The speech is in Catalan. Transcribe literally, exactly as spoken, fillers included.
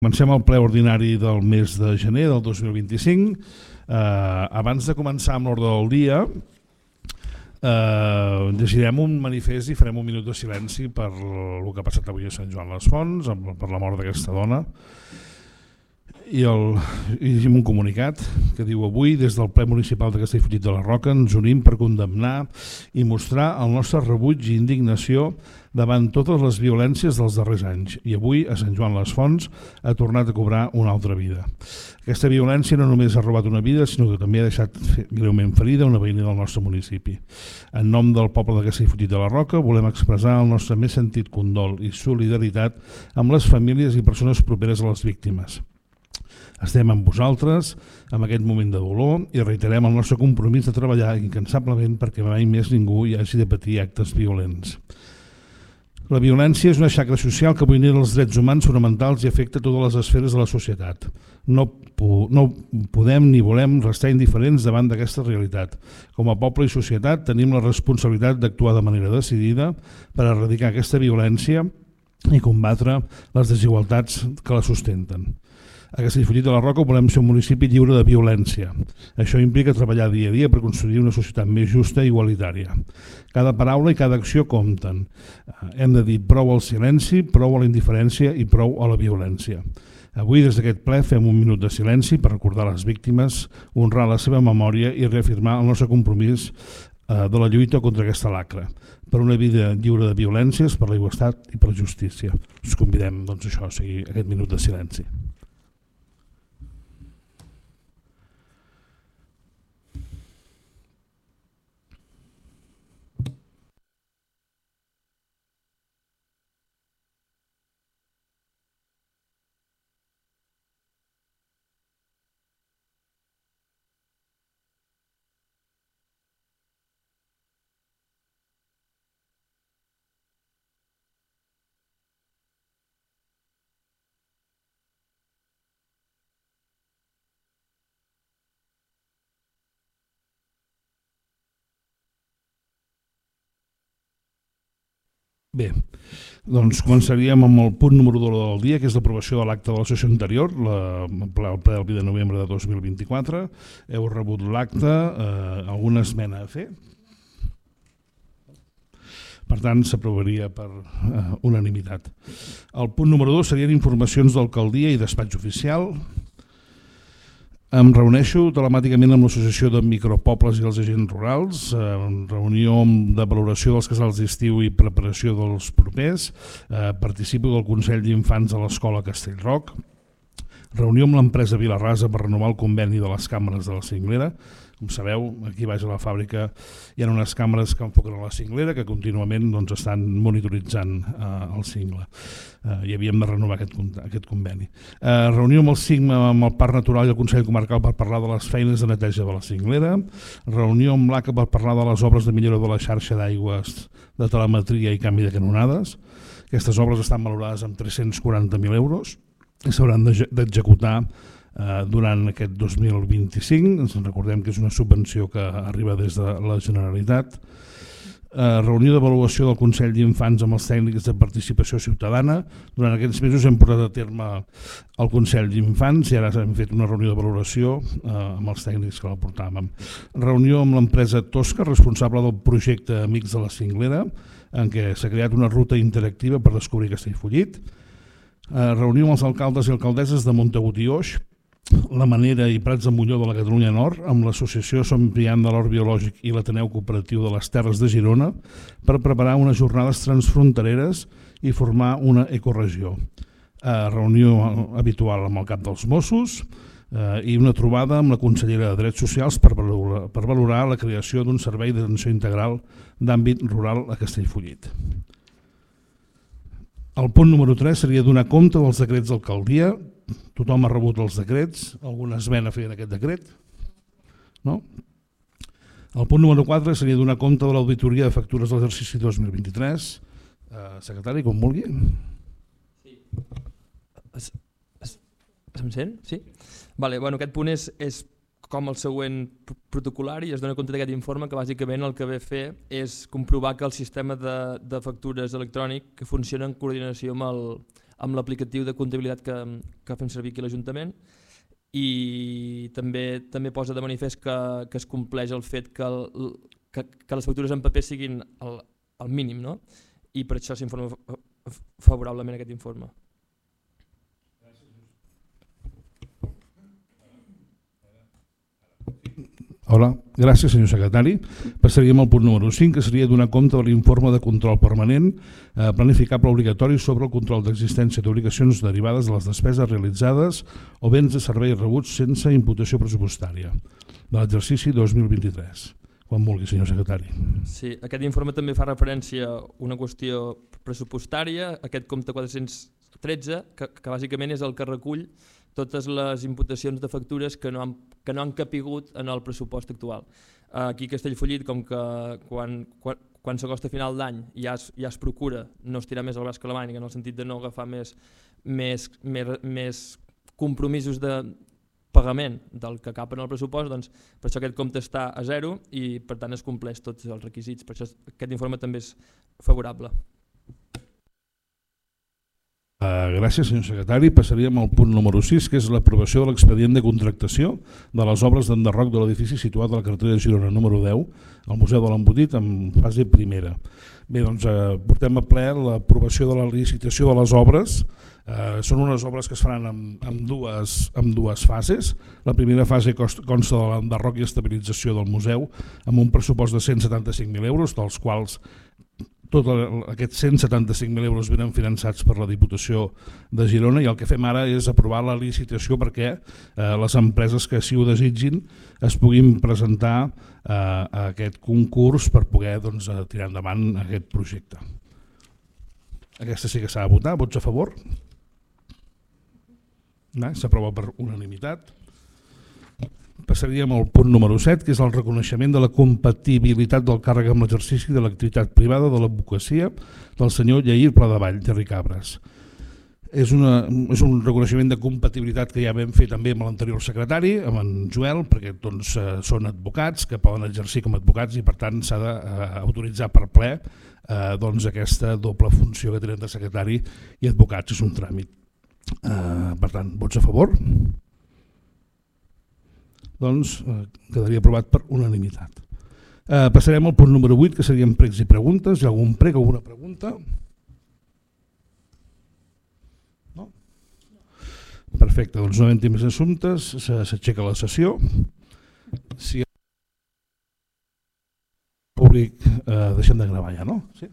Comencem el ple ordinari del mes de gener del dos mil vint-i-cinc. Eh, abans de començar amb l'ordre del dia, eh, llegirem un manifest i farem un minut de silenci per el que ha passat avui a Sant Joan les Fonts, per la mort d'aquesta dona. I, el, i llegim un comunicat que diu: avui des del ple municipal de Castellfollit de la Roca ens unim per condemnar i mostrar el nostre rebuig i indignació davant totes les violències dels darrers anys, i avui a Sant Joan les Fonts ha tornat a cobrar una altra vida. Aquesta violència no només ha robat una vida, sinó que també ha deixat greument ferida una veïna del nostre municipi. En nom del poble de Castellfollit de la Roca volem expressar el nostre més sentit condol i solidaritat amb les famílies i persones properes a les víctimes. Estem amb vosaltres en aquest moment de dolor i reiterem el nostre compromís de treballar incansablement perquè mai més ningú hi hagi de patir actes violents. La violència és una xacra social que vulnera els drets humans fonamentals i afecta totes les esferes de la societat. No, no podem ni volem restar indiferents davant d'aquesta realitat. Com a poble i societat tenim la responsabilitat d'actuar de manera decidida per erradicar aquesta violència i combatre les desigualtats que la sustenten. A Castellfollit de la Roca volem ser un municipi lliure de violència. Això implica treballar dia a dia per construir una societat més justa i igualitària. Cada paraula i cada acció compten. Hem de dir prou al silenci, prou a la indiferència i prou a la violència. Avui, des d'aquest ple, fem un minut de silenci per recordar les víctimes, honrar la seva memòria i reafirmar el nostre compromís de la lluita contra aquesta lacra, per una vida lliure de violències, per la igualtat i per la justícia. Us convidem doncs, això, a seguir aquest minut de silenci. Bé, doncs començaríem amb el punt número dos del dia, que és l'aprovació de l'acte de la sessió anterior, el ple del vint de novembre de dos mil vint-i-quatre. Heu rebut l'acte, eh, alguna esmena a fer? Per tant, s'aprovaria per eh, unanimitat. El punt número dos serien informacions d'alcaldia i despatx oficial. Em reuneixo telemàticament amb l'Associació de Micropobles i els Agents Rurals, en reunió de valoració dels casals d'estiu i preparació dels propers, eh, participo del Consell d'Infants de l'Escola Castellroc, reunió amb l'empresa Vilarrasa per renovar el conveni de les càmeres de la cinglera. Com sabeu, aquí baix a la fàbrica hi ha unes càmeres que enfoquen a la cinglera que contínuament doncs, estan monitoritzant eh, el cingle eh, i havíem de renovar aquest, aquest conveni. Eh, reunió amb el CIGMA, amb el Parc Natural i el Consell Comarcal per parlar de les feines de neteja de la cinglera, reunió amb l'A C A per parlar de les obres de millora de la xarxa d'aigües de telemetria i canvi de canonades. Aquestes obres estan valorades amb tres-cents quaranta mil euros i s'hauran d'executar durant aquest dos mil vint-i-cinc. Ens recordem que és una subvenció que arriba des de la Generalitat. Eh, reunió d'avaluació del Consell d'Infants amb els tècnics de participació ciutadana. Durant aquests mesos hem portat a terme el Consell d'Infants i ara hem fet una reunió de valoració eh, amb els tècnics que la portàvem. Reunió amb l'empresa Tosca, responsable del projecte Amics de la Cinglera, en què s'ha creat una ruta interactiva per descobrir Castellfollit. Eh, reunió amb els alcaldes i alcaldesses de Montagut i Oix, la Manera i Prats de Molló de la Catalunya Nord, amb l'associació Som Priant de l'Hort Biològic i l'Ateneu Cooperatiu de les Terres de Girona per preparar unes jornades transfrontereres i formar una ecoregió. Eh, reunió habitual amb el cap dels Mossos eh, i una trobada amb la consellera de Drets Socials per valorar, per valorar la creació d'un servei d'atenció integral d'àmbit rural a Castellfollit. El punt número tres seria donar compte dels decrets d'alcaldia. Tothom ha rebut els decrets. Alguna esmena a fer en aquest decret? No? El punt número quatre seria donar compte de l'auditoria de factures de l'exercici dos mil vint-i-tres. Eh, secretari, com vulgui. Sí. Es, es, se'm sent? Sí? Vale, bueno, aquest punt és, és com el següent protocolar i es dona compte d'aquest informe que bàsicament el que ve a fer és comprovar que el sistema de, de factures electrònic que funciona en coordinació amb el, amb l'aplicatiu de comptabilitat que, que fem servir aquí a l'Ajuntament, i també també posa de manifest que, que es compleix el fet que, el, que, que les factures en paper siguin el, el mínim, no? I per això s'informa favorablement aquest informe. Hola, gràcies senyor secretari. Passaríem al punt número cinc, que seria donar compte de l'informe de control permanent eh, planificable obligatori sobre el control d'existència d'obligacions derivades de les despeses realitzades o béns de serveis rebuts sense imputació pressupostària de l'exercici dos mil vint-i-tres. Quan vulgui, senyor secretari. Sí, aquest informe també fa referència a una qüestió pressupostària, aquest compte quatre-cents tretze, que, que bàsicament és el que recull totes les imputacions de factures que no han, que no han capigut en el pressupost actual. Aquí a Castellfollit, com que quan, quan, quan s'acosta a final d'any ja, es, ja es procura no estirar més el braç que la màniga, en el sentit de no agafar més, més, més, més compromisos de pagament del que cap en el pressupost, doncs per això aquest compte està a zero i per tant es compleix tots els requisits. Per això aquest informe també és favorable. Uh, gràcies, senyor secretari. Passaríem al punt número sis, que és l'aprovació de l'expedient de contractació de les obres d'enderroc de l'edifici situat a la carretera de Girona número deu, al Museu de l'Embotit, en fase primera. Bé, doncs uh, portem a ple l'aprovació de la licitació de les obres. Uh, són unes obres que es faran amb, amb, dues, amb dues fases. La primera fase consta de l'enderroc i estabilització del museu amb un pressupost de cent setanta-cinc mil euros, dels quals tots aquests cent setanta-cinc mil euros venen finançats per la Diputació de Girona, i el que fem ara és aprovar la licitació perquè eh, les empreses que així ho desitgin es puguin presentar eh, a aquest concurs per poder doncs, tirar endavant aquest projecte. Aquesta sí que s'ha de votar. Vots a favor? S'aprova per unanimitat. Passaríem al punt número set, que és el reconeixement de la compatibilitat del càrrec amb l'exercici de l'activitat privada de l'advocacia del senyor Lleir Pladevall, Terri Cabres. És, una, és un reconeixement de compatibilitat que ja vam fer també amb l'anterior secretari, amb en Joel, perquè doncs, són advocats que poden exercir com a advocats i per tant s'ha d'autoritzar per ple eh, doncs, aquesta doble funció que tenen de secretari i advocats. És un tràmit. Eh, per tant, vots a favor? Doncs eh, quedaria aprovat per unanimitat. Eh, passarem al punt número vuit, que serien pregs i preguntes. Hi ha algun prec o alguna pregunta? No? Perfecte, doncs no havent-hi més assumptes, s'aixeca la sessió. Si el públic eh, deixem de gravar ja, no? Sí?